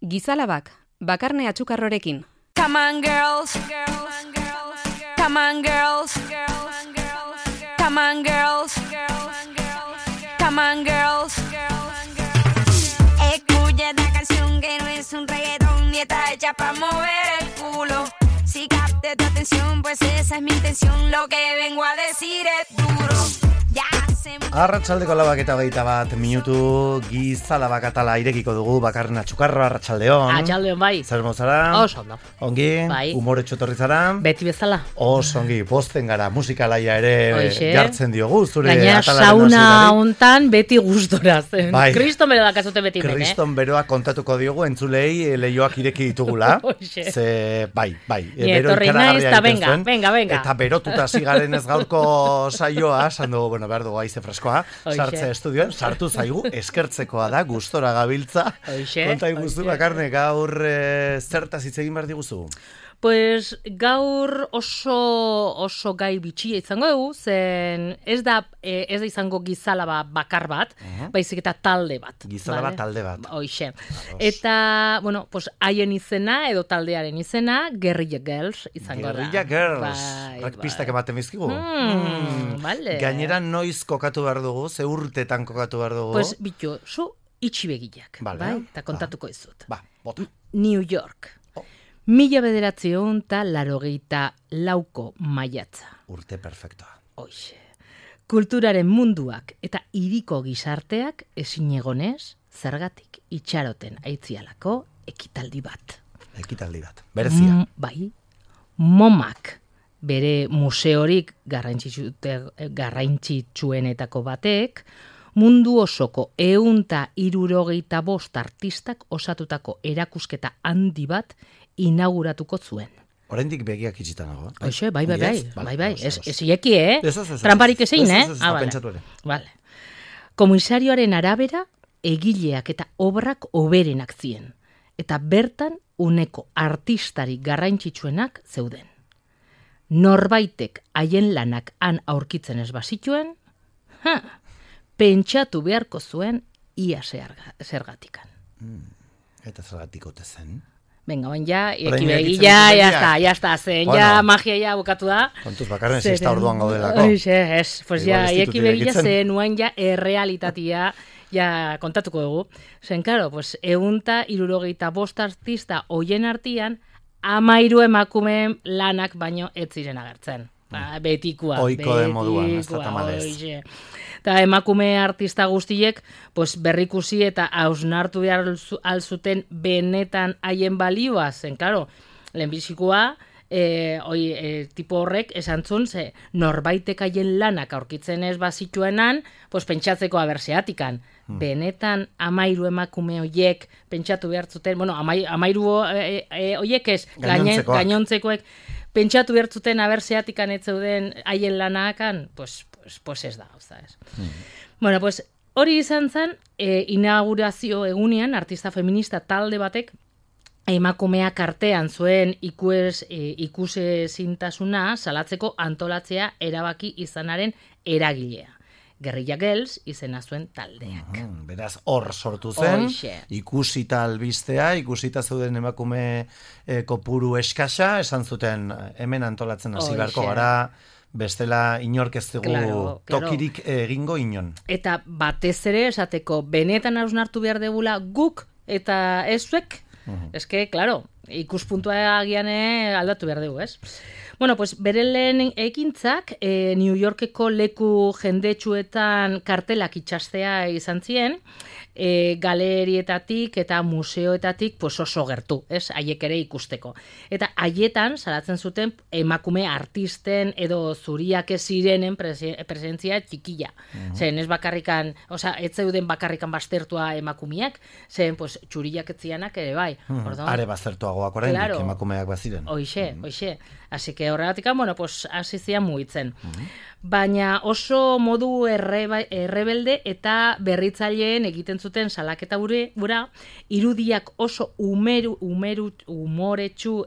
Gizalabak, bakarne atxukarrorekin. Come on girls, come on girls, come on girls, come on girls. Escucha esta canción que no es un reggaetón ni está hecha para mover el culo. Si capte tu atención, pues esa es mi intención. Lo que vengo a decir es duro. Arratsaldeko 8:21 Gizalabak atala irekiko dugu bakarren atxukarro. Arratsaldeon. Arratsaldeon bai. Zer mozara? Oso ondo. Ongi, bai. Umoretxo etorri zara? Beti bezala. Oso ongi, posten gara, musikalaia ere jartzen diogu, zure gaina atalaren sauna hontan beti gustora zen. Bai. Kriston bero dakazute beti hemen, Kriston beroa kontatuko diogu entzulei leioak ireki ditugula. Ze, bai. Bero ikaragarria egiten zuen. Venga. Eta berotuta zigaren ez gaurko saioa, sandu, bueno, behar dugu aize freskoa, sartze estudioan, sartu zaigu, eskertzekoa da, gustora gabiltza. Konta iguzu, bakarne, gaur zertaz hitz egin behar diguzu? Pues gaur oso gai bitxia izango dugu, zen ez da izango gizalaba bakar bat, baizik eta talde bat. Gizalaba talde bat. Hoixe. Eta, bueno, pues haien izena edo taldearen izena, Guerrilla Girls izango da. Guerrilla Girls. Pistak ematen bizkigu. Vale. Gainera noiz kokatu behar dugu, ze urtetan kokatu behar dugu? Pues bitu, zu itxibegiak, bai? Eta kontatuko izut. Bota. New York. 1984 maiatza. Urte perfektoa. Hoixe. Kulturaren munduak eta hiriko gizarteak ezinegonez, zergatik itxaroten aitzialako ekitaldi bat. Berezia. Bai. MoMAk bere museorik garrantzitsuenetako batek, mundu osoko 165 artistak osatutako erakusketa handi bat inauguratuko zuen. Oraindik begiak itxita nago. Oixe, bai. Ez ieki, Tramparik ezein, pentsatu ere. Vale. Komisarioaren arabera, egileak eta obrak oberenak ziren. Eta bertan uneko artistari garrantzitsuenak zeuden. Norbaitek haien lanak han aurkitzen ez bazituen, pentsatu beharko zuen ia zergatikan. Eta zergatik ote zen? Venga, oin ja, ya está, zen, ja, magia ja bukatu da. Kontuz bakarren zista orduan gaudelako. Pues ja, ieki begia zen, nuen ja, errealitatea, ja, kontatuko dugu. Zen, claro, pues, 165 artista hoien artian, 13 emakumeen lanak baino ez ziren agertzen. Betikua. Oiko de moduan, ez da tamalez. Eta emakume artista guztiek pues, berrikusi eta hausnartu behar alzuten benetan haien balioa zen, claro, lehenbizikoa, tipo horrek esan zuen, norbaitek haien lanak aurkitzen ez bazituenan, pues, pentsatzeko aberseatikan. Benetan 13 emakume horiek pentsatu behar zuten, bueno, 13 horiek ez, gainontzekoek, pentsatu behar zuten aberseatikan ez zeuden haien lanakan, pues ez da, ez. Bueno, pues hori izan zen, inaugurazio egunean, artista feminista talde batek, emakumeak artean zuen ikusezintasuna salatzeko antolatzea erabaki izanaren eragilea. Guerrilla Girls izena zuen taldeak. Beraz, hor sortu zen, ikusita albistea, ikusita zeuden emakume kopuru eskasa, esan zuten hemen antolatzen hasi beharko gara, bestela inork ez dugu tokirik egingo inon. Eta batez ere esateko benetan hausnartu behar degula guk eta ezuek, eske, claro, ikuspuntua agian aldatu behar dugu, ez? Bueno, pues bere lehen ekintzak New Yorkeko leku jendetsuetan kartelak itxastea izan zien, galerietatik eta museoetatik pues oso gertu, ez? Haiek ere ikusteko. Eta haietan salatzen zuten emakume artisten edo zuriak ez zirenen presentzia txikila. Zen ez bakarrikan, ez zeuden bakarrikan baztertua emakumeak, zen pues txuriak ez zianak ere bai. Are baztertuagoak oraindik emakumeak baziren. Hoixe. Así que Horregatik, bueno, pues hasi zian mugitzen. Baina oso modu errebelde eta berritzaileen egiten zuten salaketa gura, irudiak oso umoretsu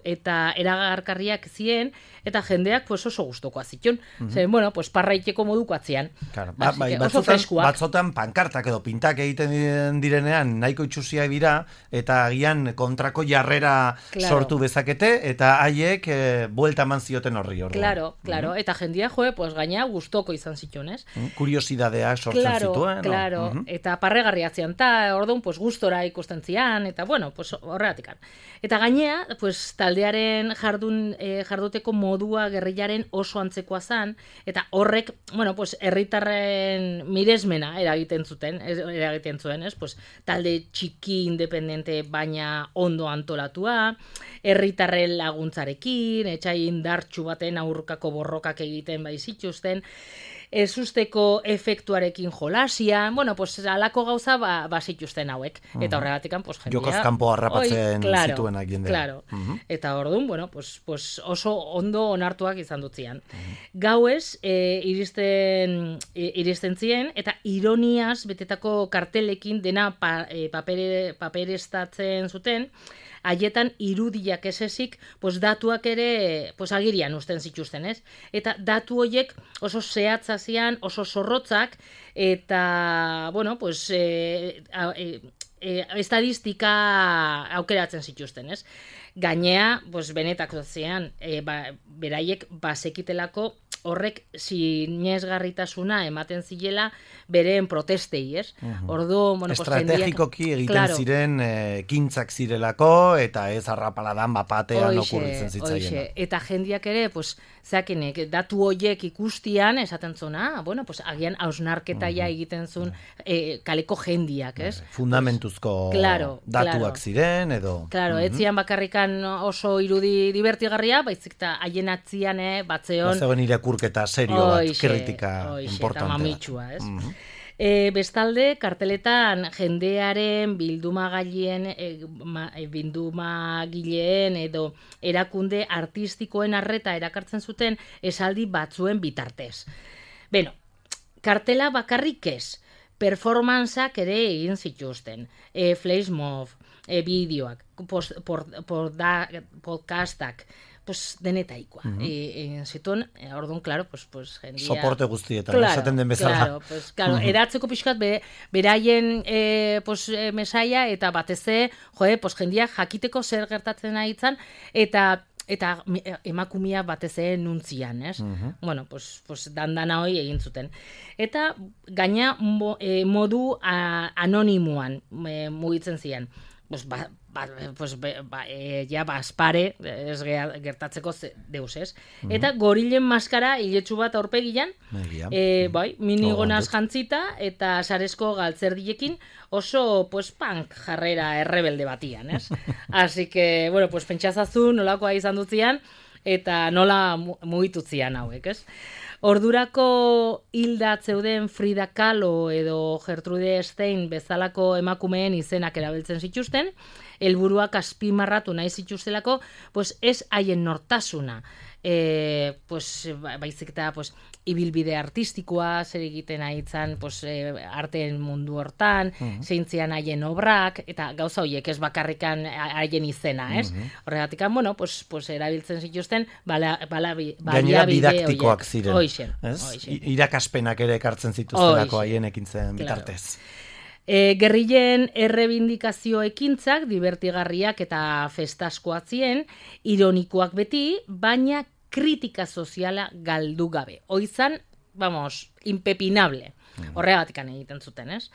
eta eragarkarriak zien, eta jendeak pues oso gustokoa zituen. Zer, bueno, pues parraiteko moduko atzian. Claro, batzotan pankartak edo pintak egiten direnean nahiko itxusia dira, eta agian kontrako jarrera sortu bezakete, eta haiek buelta eman zioten horri. Claro, eta jendia pues gaina gustoko izan zituen, ez? Kuriosidadeak sortzen zituen. Claro, eta parregarria zian, eta orduan, pues gustora ikusten zian, eta bueno, pues horregatik. Eta gainea, pues taldearen jarduteko modua gerrilaren oso antzekoa zan, eta horrek, bueno, pues herritarren miresmena eragiten zuen, ez? Pues talde txiki independente baina ondo antolatua, herritarren laguntzarekin, etxai indartsu baten aurkako borrokak egiten bai zituzten, ezusteko efektuarekin jolasia, bueno, pues alako gauza zituzten hauek. Eta horregatik, pues jendia... Jokoz kanpo harrapatzen zituenak jendea. Claro. Eta orduan, bueno, pues oso ondo onartuak izan dutzian. Gauez, iristen zien, eta ironiaz betetako kartelekin dena paperestatzen zuten, haietan irudiak esesik, pues datuak ere pues agirian usten zituzten, ez? Eta datu horiek oso zehatza zian, oso zorrotzak, eta, bueno, pues estadistika aukeratzen zituzten, ez? Gainea, pues benetako zian, beraiek bazekitelako horrek sinesgarritasuna ematen zilela bereen protestei, ez? Ordu, bueno, estrategikoki egiten ziren kintzak zirelako, eta ez arrapaladan bapatean okurritzen zitzaiena. Eta jendiak ere, pues, zeakenek, datu hoiek ikustian, esaten zona, bueno, pues, agian hausnarketaia egiten zuen kaleko jendiak, ez? Fundamentuzko datuak ziren, edo... Claro, etzian bakarrikan oso irudi divertigarria, baizik eta haien atzian, batzeon... Bazegoen irakurketa serio bat, kritika importantea. Eta mamitsua, ez? Bestalde, karteletan jendearen bildumagileen edo erakunde artistikoen arreta erakartzen zuten esaldi batzuen bitartez. Beno, kartela bakarrik ez, performantzak ere egin zituzten, flashmob, bideoak, podcastak, pues denetaikoa. Zituen, orduan, claro, pues jendia... Soporte guztietan, esaten den bezala. Claro, eratzeko pixkat beraien mesaia, eta bateze, pues jendia jakiteko zer gertatzen nahitzen, eta emakumia bateze nuntzian, ez? Bueno, pues dandana hoi egin zuten. Eta gaina modu anonimuan mugitzen zian. Bazpare, ez gertatzeko deus, ez? Eta gorilen maskara hiletsu bat aurpegian, minigonaz jantzita, eta sarezko galtzerdiekin oso, punk jarrera errebelde batian, ez? Así que, bueno, pentsazazu nolakoa izan dutzian, eta nola mugitutzian hauek, ez? Ordurako hilda zeuden Frida Kahlo edo Gertrude Stein bezalako emakumeen izenak erabiltzen zituzten, helburuak azpimarratu nahi zituztelako, ez haien nortasuna, baizik eta ibilbide artistikoa, zer egiten nahitzen arteen mundu hortan, zeintzian haien obrak, eta gauza horiek ez bakarrikan haien izena, ez? Horregatik, bueno, erabiltzen zituzten gainera didaktikoak ziren, irakaspenak ere ekartzen zituztelako haien ekintzen bitartez. Gerrilen errebindikazio ekintzak divertigarriak eta festaskoak ziren, ironikoak beti, baina kritika soziala galdu gabe. Hoizan, impepinable. Horregatik egiten zuten, ez?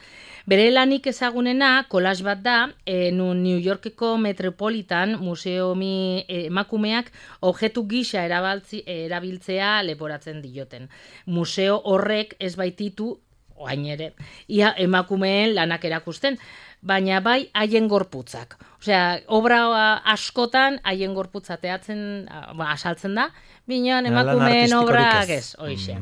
Bere lanik ezagunena, collage bat da, New Yorkeko Metropolitan Museumi emakumeak objektu gisa erabiltzea leporatzen dioten. Museo horrek ez baititu, oain ere, ia emakumeen lanak erakusten, baina bai haien gorputzak. Osea, obra askotan haien gorputza asaltzen da, binean emakumeen obrak ez, hoixe.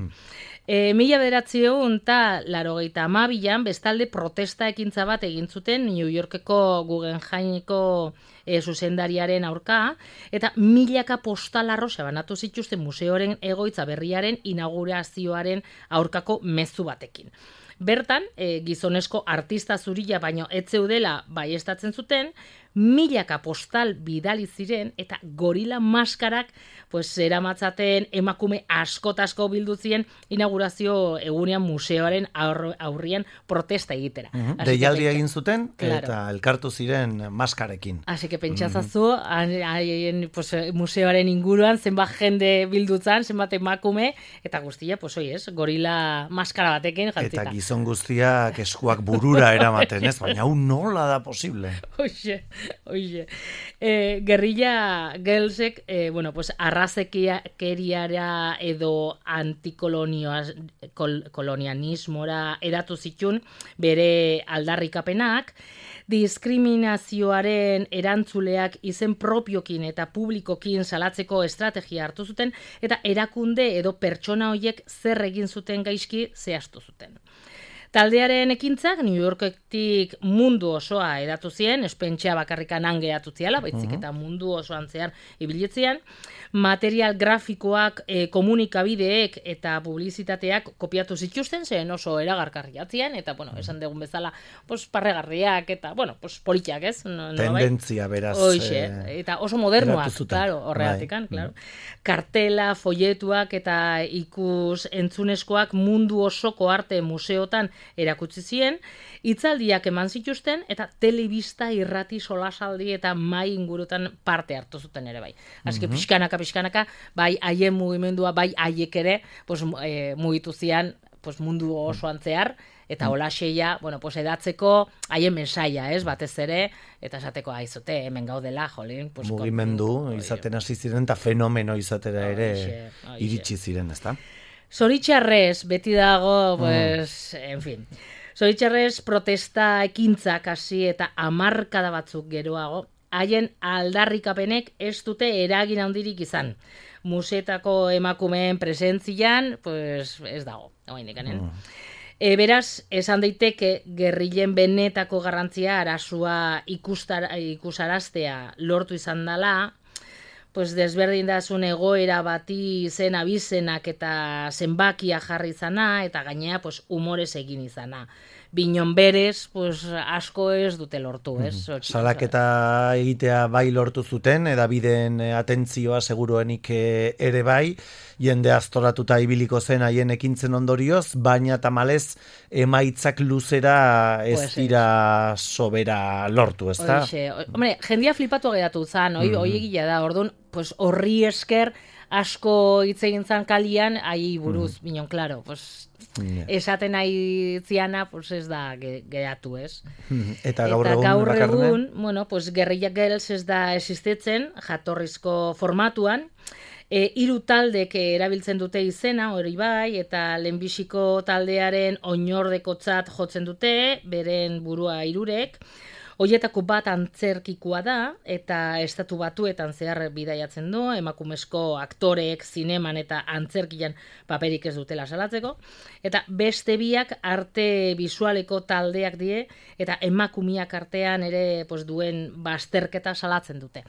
1982an bestalde protesta ekintza bat egin zuten New Yorkeko Guggenheimeko zuzendariaren aurka, eta milaka postalarro banatu zituzten museoren egoitza berriaren inaugurazioaren aurkako mezu batekin. Bertan, gizonezko artista zuria baino ez zeudela baiestatzen zuten, milaka postal bidali ziren eta gorila maskarak eramatzaten emakume asko bildu ziren inaugurazio egunean museoaren aurrian protesta egitera. Deialdi egin zuten eta elkartu ziren maskarekin. Así que pentsatzazu, museoaren inguruan zenbat jende bildutzan, zenbat emakume, eta guztia, gorila maskara batekin jantzita. Eta gizon guztiak eskuak burura eramaten, ez? Baina hau nola da posible? Oixe. Guerrilla Girlsek, arrazekeriara edo antikolonianismora eratu zitun bere aldarrikapenak, diskriminazioaren erantzuleak izen propiokin eta publikokin salatzeko estrategia hartu zuten, eta erakunde edo pertsona horiek zer egin zuten gaizki zehaztu zuten. Taldearen ekintzak New Yorketik mundu osoa edatu zien, espentxea bakarrikan angeatu ziala, baitzik eta mundu osoan zehar ibilitzean, material grafikoak, komunikabideek eta publizitateak kopiatu zituzten, zen oso eragarkarriatzean, eta, esan dugun bezala, parregarriak eta, politiak, ez? Tendentzia, beraz. Hoixe, eta oso modernoak, claro, horregatikan, claro. Kartela, folletuak eta ikus entzunezkoak mundu osoko arte museotan erakutsi ziren, hitzaldiak eman zituzten eta telebista, irrati, solasaldi eta mai ingurutan parte hartu zuten ere bai. Así que pixkanaka, bai haien mugimendua, bai haiek ere, mugitu zian mundu osoan zehar, eta holaxeia, edatzeko haien mensaia, ez, batez ere, eta esateko aizote, hemen gaudela, jolin. Mugimendu izaten hasi ziren eta fenomeno izatera ere iritsi ziren, ezta? Zoritxarrez, beti dago, en fin. Zoritxarrez protesta ekintzak hasi eta hamarkada batzuk geroago, haien aldarrikapenek ez dute eragin handirik izan. Museetako emakumeen presentzian, ez dago, beraz, esan daiteke gerrilen benetako garrantzia arasua ikusaraztea lortu izan dela, desberdintasun egoera bati zen abizenak eta zenbakia jarri izana, eta gainea humorez egin izana. Binon berez, asko ez dute lortu, ez? Salaketa egitea bai lortu zuten, edabideen atentzioa seguruenik ere bai, jende aztoratuta ibiliko zen haien ekintzen ondorioz, baina tamalez emaitzak luzera ez dira sobera lortu, ez da? Hombre, jendia flipatu geratu zan, hoi egia da, orduan, horri esker asko hitz egin zan kalian, ahi buruz, binon, klaro, esaten nahi ziana, ez da geratu, ez? Eta gaur egun, Guerrilla Girls ez da existitzen, jatorrizko formatuan, 3 taldek erabiltzen dute izena, hori bai, eta lehenbiziko taldearen oinordekotzat jotzen dute, beren burua 3, Hoietako bat antzerkikoa da, eta Estatu Batuetan zehar bidaiatzen du, emakumezko aktoreek zineman eta antzerkian paperik ez dutela salatzeko, eta beste biak arte bisualeko taldeak die, eta emakumiak artean ere duen bazterketa salatzen dute.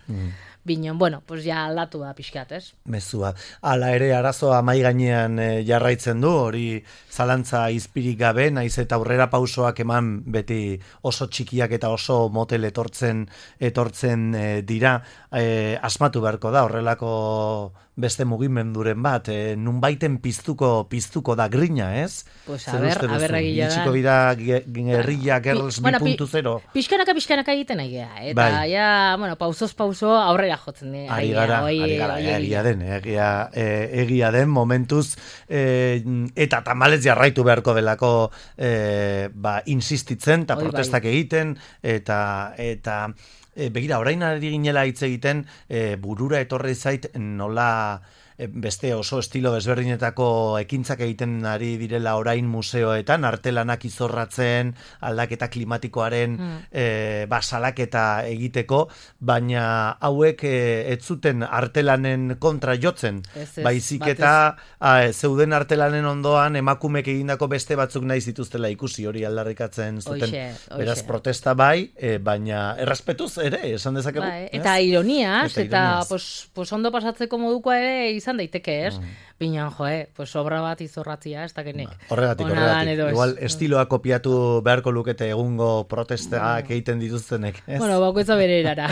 Binon, ja aldatu da pixkat, ez? Mezua. Hala ere arazoa mai gainean jarraitzen du, hori zalantza izpirik gabe, naiz eta aurrera pausoak eman beti oso txikiak eta oso motel etortzen dira, asmatu beharko da horrelako beste mugimenduren bat, nunbaiten piztuko da grina, ez? Aberragila da. Itxiko bida Guerrilla Girls 2.0. Pixkanaka egiten nahi geha, eta pausoz pauso aurrera jotzen dira. Ari gara, egia den momentuz, eta tamalez jarraitu beharko delako insistitzen, eta protestak egiten, eta begira, orain ari ginela hitz egiten, burura etorri zait nola beste oso estilo desberdinetako ekintzak egiten ari direla orain museoetan, artelanak izorratzen, aldaketa klimatikoaren salaketa egiteko, baina hauek ez zuten artelanen kontra jotzen, baizik eta zeuden artelanen ondoan emakumek egindako beste batzuk nahi zituztela ikusi, hori aldarrikatzen zuten. Beraz protesta bai, baina errespetuz ere, esan dezakegu. Eta ironiaz, eta ondo pasatzeko modukoa ere izan daiteke, ez? Binean, obra bat izorratzia, ez dakenek. Horregatik. Igual estiloa kopiatu beharko lukete egungo protestak egiten dituztenek. Bueno, bakoitza bere erara.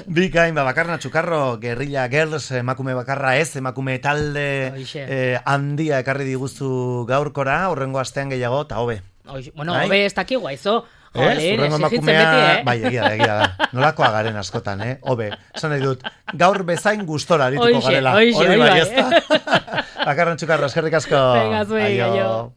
Bikain, Bakarna Txukarro, Guerrilla Girls, emakume bakarra ez, emakume talde handia ekarri diguzu gaurkora, horrengo astean gehiago, eta hobe. Bueno, hobe ez dakigu, aizo. Horrengo emakumea, bai, egia da. Nolakoa garen askotan, hobe. Esan nahi dut, gaur bezain gustora arituko garela. Hori bai, ez da. Bakarna Txukarro, eskerrik asko. Venga, zuen,